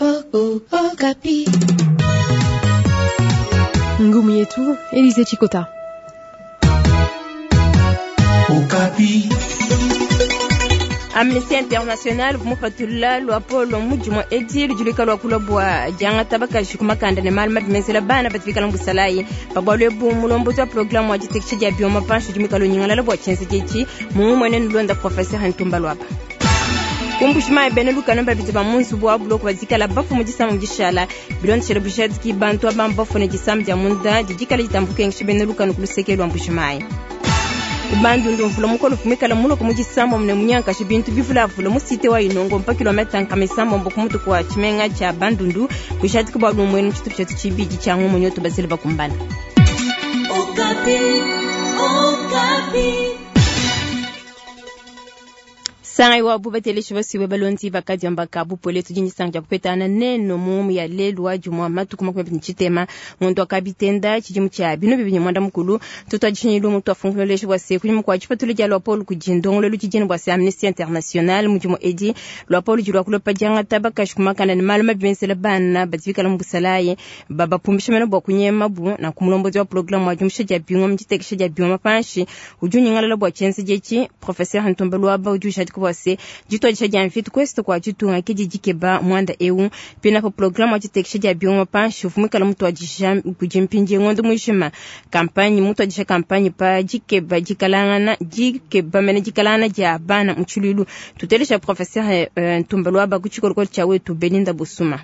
Okapi. Ngumu yetu Elise Chikota. Okapi. Amnesty International mupatula luapolo mudimu edi ludi lua bua diangata bakaji ku makanda ne malu mabi menzela bana badi bikala mu busalayi. Pa bualu ebu mulombodi wa programme wa ditekesha dia bioma panshi udi muikale unyingalala bua tshienzedi etshi mumumue nulonda Professeur Ntumba Luaba. Ku Mbuji-Mayi bena lukanu babidi ba mu nzubu wa buloko badikala bafue mu disama dishala bilondeshele bujadiki bantu aba mbafue ne disama dia munda didikala ditamba kukengesha bena lukanu ku luseke lua Mbuji-Mayi. Ku Bandundu mvula mukole uvua muikale muloke mu disambombo ne munyankaje bintu bivulavula mu site wa Inongo mpa kilometa nkama isambombo ku mutu kua tshimenga tshia Bandundu bujadiki bua lumuenu mu tshitupa tshietu tshibidi tshia ngumu nyoto bazile bakumbana. Okapi, Okapi. Sangai wa bubateleshi basiwe balondi bakadiamba ka bupole tudi ne disanka dia kupetana nenu mu ya lelu wa jumua matuku 20 tshitema ngondo wa kabitenda tshidimu tshia binu bibidi mwanda mukulu. Tutuadishinyilu mutu afunkuloleshi bua se kunyima kua dipatula dia luapolo kudi ndongoluelu tshidini bua se Amnesty International mudimu edi luapolo ludi lua kulopa diangata bakaji ku makanda ne malu mabi menzela bana badi bikala mu busalayi babapumbisha mena bua kunyemabu. Nanku mulombodi wa programme wa diumusha dia bingoma ditekesha dia bingoma panshi udi unyingalala bua tshienzedi etshi. Professeur Ntumba Luaba udi ujadika bua se dituadisha dia mvita ku est kua ditunga ke didi dikeba muanda eu. Pinapo programme wa ditekesha dia bingoma panshi uvua muikala mutuadisha kudi mpindie ngondo mujima campagne mutuadisha campagne pa dikeba dikalangana dikeba mene dikalangana dia bana mu tshiluilu. Tutelesha professeur Ntumba Luaba ku tshikolokolo tshia wetu Belinda Busuma.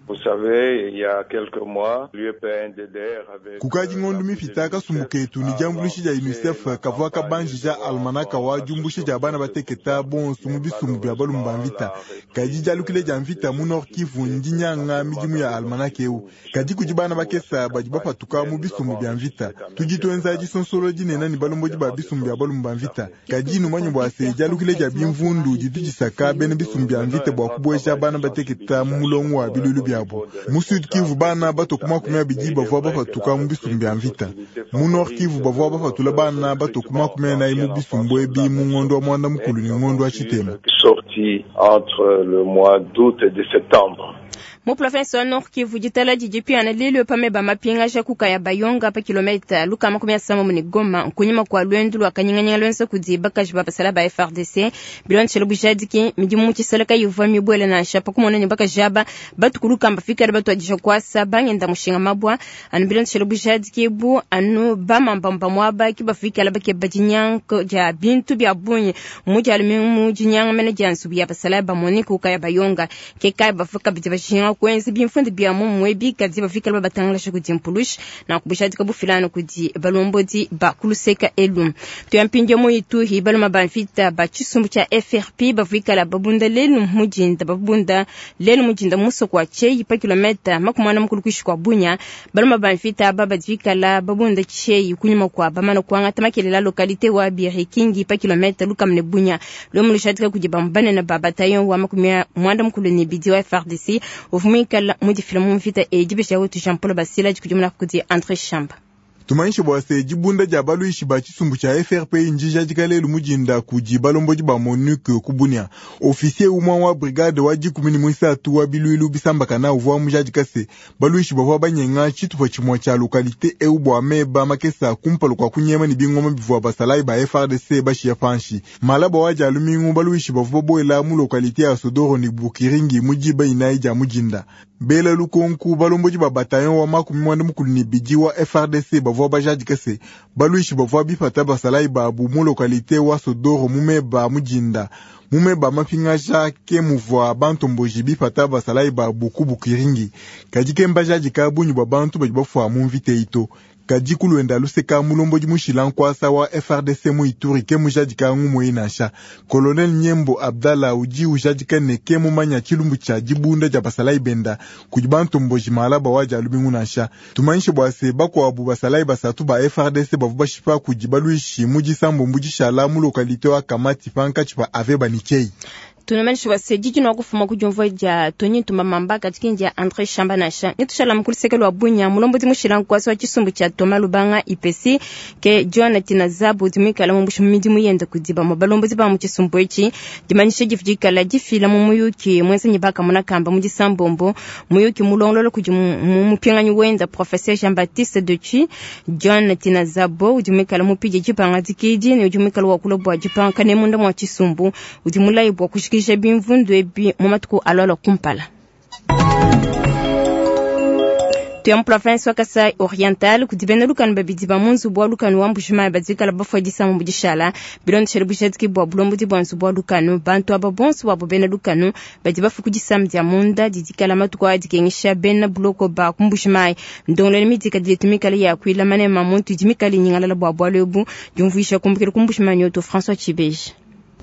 Vous savez, il y a quelques mois, l'UEPN-DDR avait... Kukadi ngondo mipita kasumbu ketu ne diambuluisha dia UNICEF kavua kabanjija almanaka wa diumbusha dia bana bateketa bonso mu bisumbu bia balume ba mvita. Kadi dialukile dia mvita mu Nord Kivu ndinyanga midimu ya almanaka eu. Kadi kudi bana bakesa badi bapatuka mu bisumbu bia mvita. Tudi tuenza disonsolo dinene ne balombodi ba bisumbu bia balume ba mvita. Kadi numanye bua se dialukile dia bimvundu didi disaka bena bisumbu bia mvita bua kubueja bana bateketa mu mulongo wa biluilu biabu. Mu Sud Kivu bana bato ku 20 bavua bapatuka mu bisumbu bia mvita. Mu Nord Kivu bavua bapatula bana bato ku 40 mu bisumbu ebi mu ngondo wa mwanda mukulu ne ngondo wa tshitema. Sorti entre le mois d'août et de septembre. Mu province wa Nord Kivu ditala didi piana lelu pameba mapingaja kukaya bayonga pa kilometa lukama 17 ne Goma nkunyima kua luendu lua kanyinganyinga luenza kudi bakaji ba basala ba FARDC bilondeshele bujadiki midimu mu tshiseleka ivua mibuele nansha pa kumona ne bakaji aba batukulukamba fikala batuadija kuasa bangenda mushinga mabua anu bilondeshele bujadiki ebu anu bamambamba muaba ki bafikala bakeba dinyanko dia bintu bia bungi mu dialu mu dinyanga mene dia nzubu ya basala ba MONUC kukaya bayonga ke kaya bafika bidi bashinga kuenza bimfundi bia mumue bikadi bafikala babatangalasha kudi mpulushi na kubushadika bufilano kudi balombodi ba kuluseka elu. Tuyampindia mu Ituri baluma ba mvita ba tshisumbu tshia FRP bavikala babunda lelu mujinda babunda lelu mujinda musoko wa Tcheyi pa kilometa 40 kuishi kwa Bunya. Baluma ba mvita aba badivikala babunda Tcheyi kunyuma kwa bamana kuangata makelela localité wa Birikingi pa kilometa lukamne Bunya. Lomu lushadika kudi bambanene ba bataillon wa 92 wa FARDC uvumikala mudifila mu mvita edi besha wetu Jean Paul Basila dikudimuna kudi André Chamba. Tumanyishe bua se dibunda dia baluishi ba tshisumbu tshia FRP ndijadika lelu mujinda kudi balombodi ba MONUC ku Bunia. Officier umue wa brigade wa 13 wa biluilu bisambakana uvua mujadika se baluishi bavua banyenga tshitupa tshimue tshia localité eu bua meba makesa kumpala kua kunyema ne bingoma bivua basalayi ba FARDC bashiya panshi. Malaba wa dia lumingu baluishi bavua babuela mu localité ya Sodoro ne Bukiringi mu diba 4 dia mujinda. Bela lukonku balombodi ba bataillon wa 92 wa FARDC bavua bajadika se baluishi bavua bipata basalayi babu mu localité wa Sodoro mu meba mujinda. Mu meba mapingaja ke muvua bantomboji bipata basalayi babu ku Bukiringi. Kadi ke mbajadika bungi bua bantu badi bafua mu mvita ito. Kadi kuluenda luseka mulombodi mushila nkuasa wa FARDC mu Ituri ke mujadika ngumu nansha. Colonel Nyembo Abdallah udi ujadika ne ke mumanya tshilumbu tshia dibunda dia basalayi benda kudi bantomboji malaba wa dia lumingu nansha. Tumanyishe bua se bakuabu basalayi basatu ba FARDC bavua bashipa kudi baluishi mu disambombo dishala mu localité wa Kamati pankatshi pa Aveba ne Tcheyi. Tunamanyisha bua se didi kufuma ku diumvua dia Tony Ntumba Mamba kadi dia André Shamba nansha. Netushala mu luseke lua Bunia mulombodi mushila nkuasa wa tshisumbu tshia Thomas Lubanga IPC ke John Tinazabu udi muikale mumbusha mu midimu yende kudi bamue balombodi ba mu tshisumbu etshi. Dimanyisha divu dikala difila mu muyuki muenza ne bakamona kamba mu disambombo muyuki mulongolola kudi mupinganyi wenda professeur Jean-Baptiste Dechi. John Tinazabo udi muikale mupidie dipanga dikidi ne udi muikale wakula bua dipanga ne munda mua tshisumbu udi mulayi bua kushikisha bimvundu ebi mu matuku alualua kumpala. Tuya mu province wa Kasai Oriental kudi bena lukanu babidi ba mu nzubu wa lukanu wa Mbujimayi badikala bafua disamu mu dishala bilondeshele bujadiki bua bulombodi bua nzubu wa lukanu. Bantu aba bonso babo bena lukanu badi bafua ku disamu dia munda didikala matuku aya dikengesha bena buloko ba ku Mbujimayi. Ndongoluelu midika diletu mikale ya kuila manema muntu idi mikale inyingalala bua bualu ebu diumvuisha kumbukila ku Mbujimayi nyoto François Tshibeji.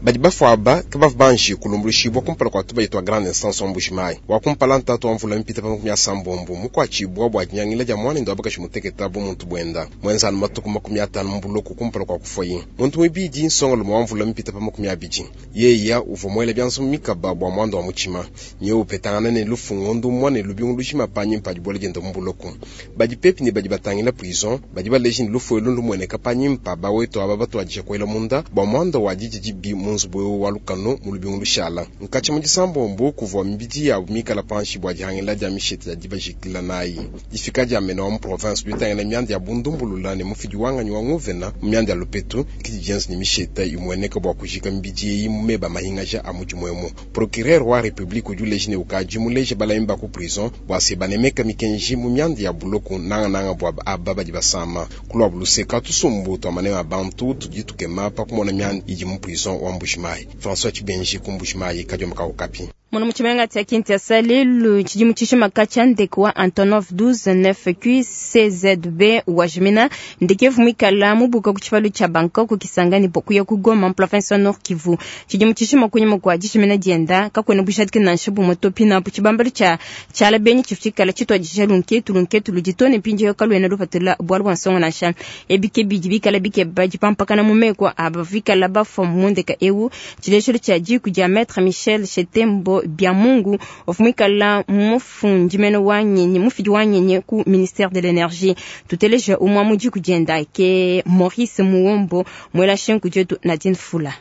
Badi bafua aba ke bavua banji kulumbuluishibua kumpala kua tubadi tua grande instance wa Mbujimayi. Wa kumpala ntatu wa mvula mipite pa 80 mukuatshibua bua dinyangila dia muanende wa bakaji muteketa bu muntu buenda muenza anu matuku 50 mu buloko kumpala kua kufuayi. Muntu muibidi nsongalume wa mvula mipite pa 20 yeya uvua muele bianza mu mikaba bua muanda wa mutshima nyewe upetangana ne lufu ngondu umue ne lubingu lujima panyima pa dibuela diende mu buloko. Badi pepi ne badi batangila prison badi baleja ne lufu elu lumueneka panyima pa bawetu aba batuadija kuela munda bua muanda wa didi dibi mu nzubu eu wa lukanu mu lubingu lushala. Nkatshi mu disambombo kuvua mibidi yabu mikala panshi bua dihangila dia mishete ya dibajikila nayi. Difika dia mena wa mu province ditangila mianda ya bundumbulula ne mufidi wanganyi wa nguvena mu mianda ya lupetu kidi dienza ne mishete imueneka bua kujika mibidi eyi mu meba mahingaja a mudimu emu. Procureur wa republique udi uleja ne ukadi muleje balami ba ku prison bua se banemeka mikenji mu mianda ya buloko nangananga bua aba badi basama. Kulua luseka tusumbu tua manema a bantu tudi tukema pa kumona mianda idi mu prison wa Mbujimayi. François Tshibenji ku Mbujimayi, Kadiomba ka Okapi. Mwana muchimenga tia Kinshasa lelu chidimu chishima cha ndeke wa Antonov 12 9Q CZB wa jimina ndeke vumikala mubuka ku chipalu cha Bangkok Kisangani bokuya ku Goma mu province wa Nord Kivu. Chidimu chishima kunyima kwa dishimina dienda kakwena bushadike nansha bumwe to pina pu chibambalu cha chala benyi chifuchikala chitwa disha lunketu lunketu luditone mpinje yo kalwena lupatula bwalu bwa nsongo nansha ebike bidi bikala bike baji pampakana mu meko abavikala bafwa mu ndeka ewu chileshelo cha jiku dia Maître Michel Chetembo Biamungu ofumikala mufundimeno wa nyenye mufidi wa nyenye ku ministère de l'énergie. Tuteleja umwa muji kujenda ke Maurice Muombo mwela shenku jetu Nadine Fula.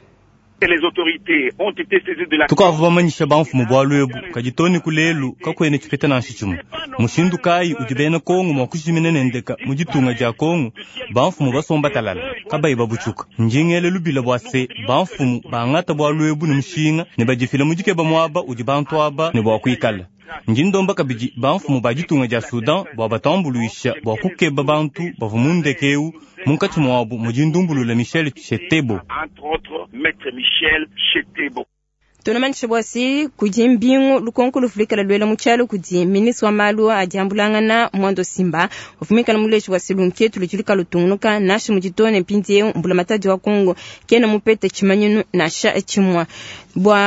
Les autorités ont été saisies de la tukavua bamanyisha bamfumu bualu ebu kadi toni kulelu kakwene tshipeta nansha tshimue mushindu kayi udi bena Kongo mua kushimina ne ndeka mu ditunga dia Kongo bamfumu basomba talala kabayi babutshuka ndingele lubila bua se bamfumu bangata bualu ebu ne mushinga ne badifila mu dikeba muaba udi bantu aba ne bua kuikala. Ndi ndomba kabidi bamfumu ba ditunga dia Sudan bua batambuluisha bua kukeba bantu bavua mu ndeke eu munkatshi muabu mudi ndumbulula Michel Chetebo. Entre autres, Maître Michel Chetebo. Tunamanyisha bua se kudi mbingu lukonko lufulikala luela mu tshialo kudi ministre wa malu a diambulangana Mwando Simba ufumikala muleji wa selunketu ludi lukala lutungunuka nasha muditone mpindiewu mbulamatadi wa Kongo kena mupete tshimanyinu nasha tshimua bua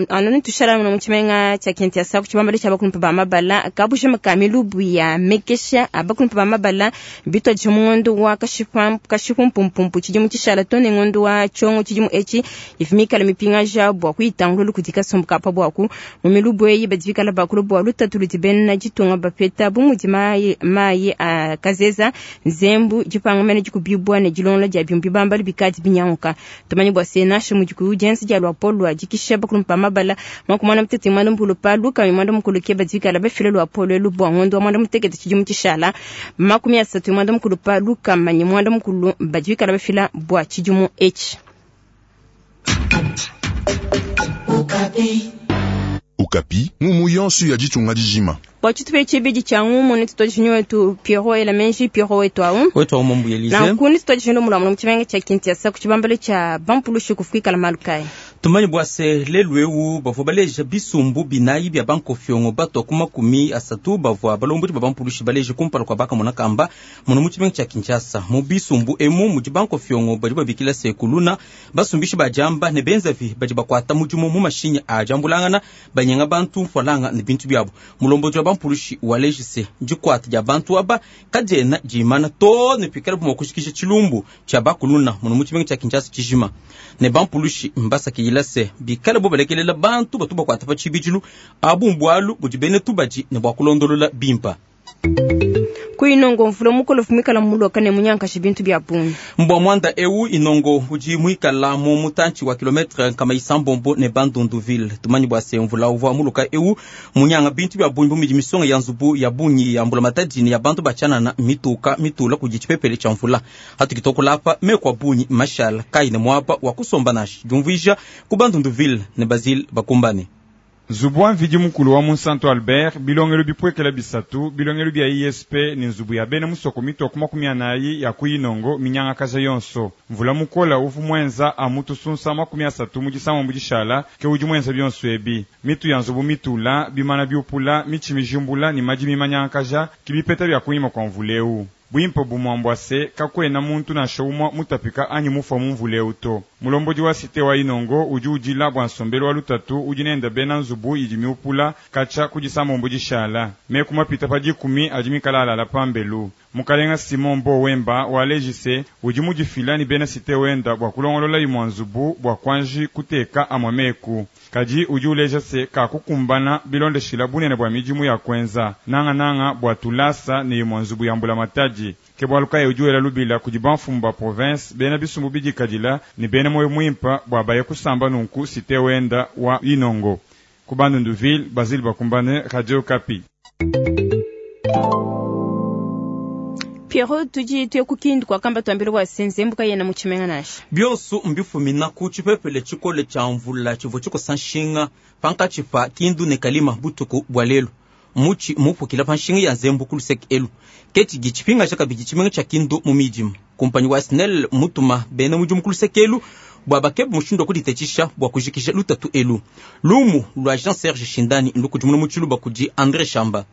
anoni tushala mu tshimenga tshia Kinshasa ku tshibambalu tshia bakulumpa ba mabala kabushima ka milubu ya mekesha abakulumpa ba mabala bitwa dija mu ngondo wa kashipumpumpu tshidimu tshishala tone ngondo wa tshongo tshidimu etshi ifumikala mipingaja bua kuitangululu kudi kasumbu ka pa buaku mu milubu eyi badivikala bakulu bua lutatu ludi bena ditunga bapeta bu mudi mayi a kazeza nzembu dipanga mene dikubibua ne dilongola dia bimbi bambali bikadi binyanguka. Tumanye bua se nasha mudi ku dienza dia luapolo lua dikisha bakulumpa mabala mwakumwana mutete mwana mukulu pa luka mwana mukulu ke badivikala bafile luapolo elu bua ngondo wa mwana mutekete tshidimu tshishala 30 mwana mukulu pa luka manyi mwana mukulu badivikala bafila bua tshidimu etshi. Okapi. Okapi, ngumu yonso ya ditunga dijima. Bua tshitupa tshibidi tshia ngumu ne tutuadije wetu Pierrot Elamenji Pierrot wetu awu. Wetu awu mambu Elise. Na nkuni tutuadije mulamu mu tshimenga tshia Kinshasa ku tshibambalu tshia bampulushi kufikala malu kayi. Tumanye bua se lelu eu bavua baleja bisumbu binayi bia bankofiongo batwa ku 30 bavua balombodi ba bampulushi baleje kumpala kua bakamona kamba muno mu tshimenga tshia Kinshasa. Mu bisumbu emu mudi bankofiongo badi babikila se kuluna basumbishi ba jamba ne benzavi badi bakuata mudimu mu mashinyi a jambulangana banyenga bantu mfualanga ne bintu biabu. Mulombodi wa bampulushi waleje se dikuata dia bantu aba kadiena dimana to ne pikala bua kushikisha tshilumbu tshia bakuluna muno mu tshimenga tshia Kinshasa tshijima. Ne bampulushi mbasaki Bitangila se bikale bo balekelela bantu batu bakuata pa tshibidilu abu mbualu budi bena tubadi ne bua kulondolola bimpa. Ku Inongo mvula mukole muikala muloka ne munyankashi bintu bia bungi. Mbua muanda eu Inongo udi muikala mu mutantshi wa kilometre nkama isambombo ne Bandunduville. Tumanyi bua se mvula uvua muluka eu munyanga bintu bia bungi bu mudi misonga ya nzubu ya bungi ya mbulamatadi ne ya bantu ba tshianana mituka mitula kudi tshipepele tshia mvula. Hatudi tuakula apa meku a bungi mashala kayi ne muaba wa kusomba nansha. Diumvuija ku Bandunduville ne Basile Bakumbane. Nzubu wa Mvidi Mukulu wa Munsantu Albert, bilongelu bipuekela bisatu, bilongelu bia ISP ne nzubu ya bena musoko mitua ku 40 ya ku Inongo minyangakaja yonso. Mvula mukola uvu muenza amu tusunsa 30 mu disambombo dishala ke udi muenza bionso ebi. Mitu ya nzubu mitula, bimana biupula, mitshi mijimbula ne madimi manyangakaja ke bipeta bia kunyima kua mvula eu. Buimpe bumue mbua se, kakuena muntu nansha umue mutapika anyi mufue mu mvula eu to. Mulombodi wa site wa Inongo udi udila bua nsombelu wa lutatu udi nende bena nzubu idi miupula katshia ku disambombo dishala. Meku mapita pa dikumi adi mikale alala pambelu. Mukalenga Simon Mbo Wemba waleji se, udi mudifila ne bena site wenda bua kulongolola imua nzubu bua kuanji kuteka amue meku. Kadi udi uleja se kakukumbana bilondeshila bunene bua midimu ya kuenza, nangananga bua tulasa ne imua nzubu ya mbulamatadi. Ke bualu kayi udi wela lubila kudi bamfumu ba province, bena bisumbu bidikadila ne bena muoyo muimpa bua baye kusamba nunku site wenda wa Inongo. Ku Bandundu-ville, Basile Bakumbane, Radio Okapi. Pierrot, tudi tuye ku Kindu kuakamba tuambile bua se nzembu kayena mu tshimenga nansha. Bionso mbifumina ku tshipepele tshikole tshia mvula tshivua tshikosa nshinga pankatshi pa Kindu ne Kalima butuku bua lelu. Mutshi mupukila pa nshinga ya nzembu ku luseke elu ke tshidi tshipingaja kabidi tshimenga tshia Kindu mu midima. Kumpanyi wa SNEL mutuma bena mudimu ku luseke elu bua bakebe mushindu wa kuditatshisha bua kujikija lutatu elu. Lumu lua Jean Serge Shindani ndukudimuna mu tshiluba kudi Andre Shamba.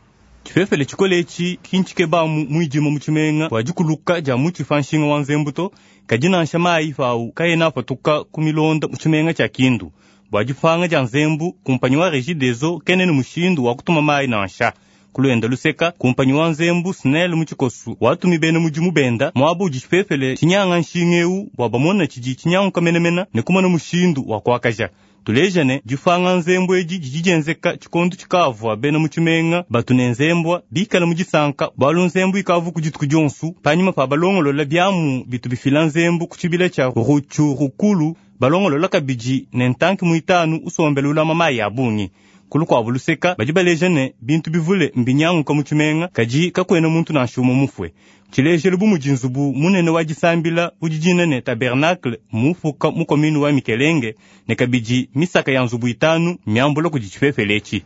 Tshipepele tshikole etshi ki ntshikebamu muidima mu tshimenga bua dikuluka dia mutshi pa nshinga wa nzembu to, kadi nansha mayi pawu kaena apatuka ku milonda mu tshimenga tshia Kindu. Bua dipanga dia nzembu, kumpanyi wa Regideso kena ne mushindu wa kutuma mayi nansha. Ku luenda luseka, kumpanyi wa nzembu SNEL mu tshikosu watumi bena mudimu benda muaba udi tshipepele tshinyanga nshinga eu bua bamone tshidi tshinyanguka menemene ne kumona mushindu wa kuakaja. Tuleja ne dipanga nzembu edi didi dienzeka tshikondo tshikavua bena mu tshimenga batu ne nzembua bikale mu disanka bualu nzembu ikavu ku dituku dionso panyima pa balongolola biamu bitu bifila nzembu ku tshibila tshia Rutshurukulu, balongolola kabidi ne ntanki muitanu usombela ulama mayi a bungi. Ku lukuabu luseka badi baleja ne bintu bivule mbinyanguka mu tshimenga kadi kakuena muntu nansha umue mufue. Tshilejelu bu mudi nzubu munene wa disambila udi dina ne tabernacle mufuka mu commune wa Mikelenge ne kabidi misaka ya nzubu itanu miambula kudi tshipepele etshi.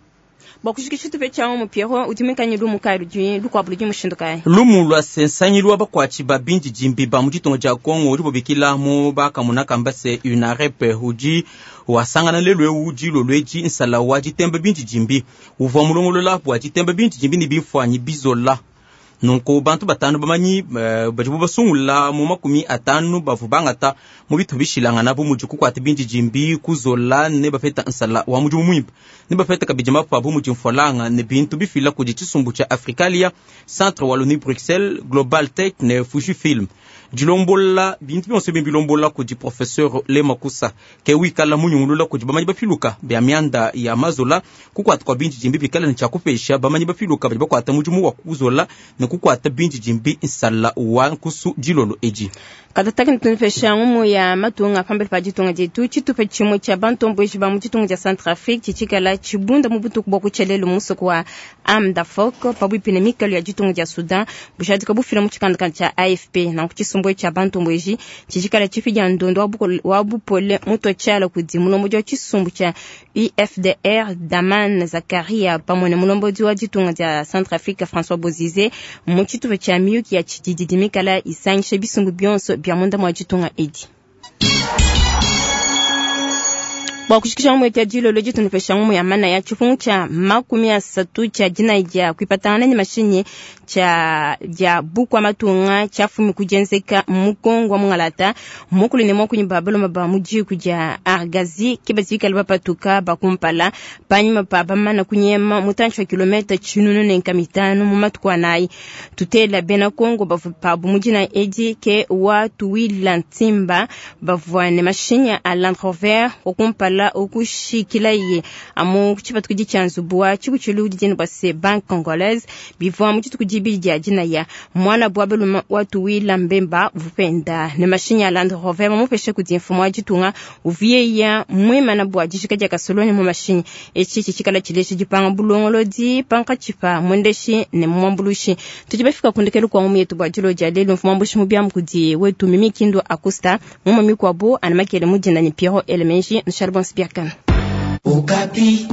Bua kujikija tshitupa tshia mu Pierrot udi muikale lumu kayi ludi lukuabu ludi mushindu kayi? Lumu lua se nsangilu wa bakuatshi ba bindidimbi ba mu ditunga dia Congo udi bubikila mu bakamuna kamba se UNAREP udi wasangana lelu eu dilolo edi nsala wa ditemba bindidimbi uvua mulongolola bua ditemba bindidimbi ne bimfuanyi bizola. Nunku bantu batanu bamanyi badibu basungula mu 50 bavua bangata mu bitu bishilangana bu mudi kukuata bindidimbi kuzola ne bapeta nsala wa mudimu muimpe ne bapeta kabidi mapa bu mudi mfualanga ne bintu bifila kudi tshisumbu tshia Africalia, Centre Wallonie Bruxelles, Global Tech ne Fujifilm. Dilombola bintu bionso ebi bilombola kudi professeur Lemakusa ke wikala munyungulula kudi bamanyi bapiluka bia mianda ya mazola kukuata kwa bindidimbi bikala ne tshia kupesha bamanyi bapiluka badi bakuata mudimu wa kuzola ne kukuata bindidimbi nsala wa nkusu dilolo edi. Katataki ntunupesha ngumu ya matunga pambele pa ditunga dietu tshitupa tshimue tshia bantomboji ba mu ditunga dia Centrafrique tshitshikala tshibunda mu butuku bua kutshia mu musoko wa Amdafok pabuipi ne mikalu ya ditunga dia Soudan bujadika bufila mu tshikandakanda tshia AFP nanku tshisumbu tshia bantomboji tshitshikala tshifi dia ndondo wa bupole muto tshiala kudi mulombodi wa tshisumbu tshia UFDR Daman Zakaria pamue ne mulombodi wa ditunga dia Centrafrique François Bozizé mu tshitupa tshia miyuki ya tshididi mikala isangisha bisumbu bionso bia munda mua ditunga edi. Bua kushikisha ngumu yetu ya dilolo ditunupesha ngumu ya mana ya tshipungu tshia 30 tshia dinayi dia kuipatangana ne mashinyi tshia dia bukwa matunga tshiafumi kudienzeka mu Kongo wa mungalata mukulu ne muakunyi ba baloma ba mu diku dia Argazi ke bazikala bapatuka bakumpala panyima pa bamana kunyema mutantshi wa kilomita 1500 mu matuku anayi. Tutela bena Kongo bavua pabu mu dina edi ke wa Tuwila Ntimba bavua ne mashinyi a Land Rover wakumpala okushikilaye amu tshipatuku tshia nzubu wa tshikutshilu didini bua se Banque Congolaise bivua mu dituku dibidi dia dinaya mwana bwa baluma wa Tuwila Mbemba vupenda ne mashinyi a Land Rover bamupeshe kudi mfumu wa ditunga uvieya mwimana bua dishika dia kasoloni mu mashinyi etshi tshikala tshileshi dipanga bulongolodi pankatshipa mwendeshi ne mwambulushi. Tudi bafika kundekelu kwa ngumu yetu bua dilo dia lelu mfumu wambushi mu biamu kudi wetu Mimi Kindu Akusta mumu mikuabu anamakele mudina ni Pierrot Elemenji Nshalbon Spiakan. Okapi.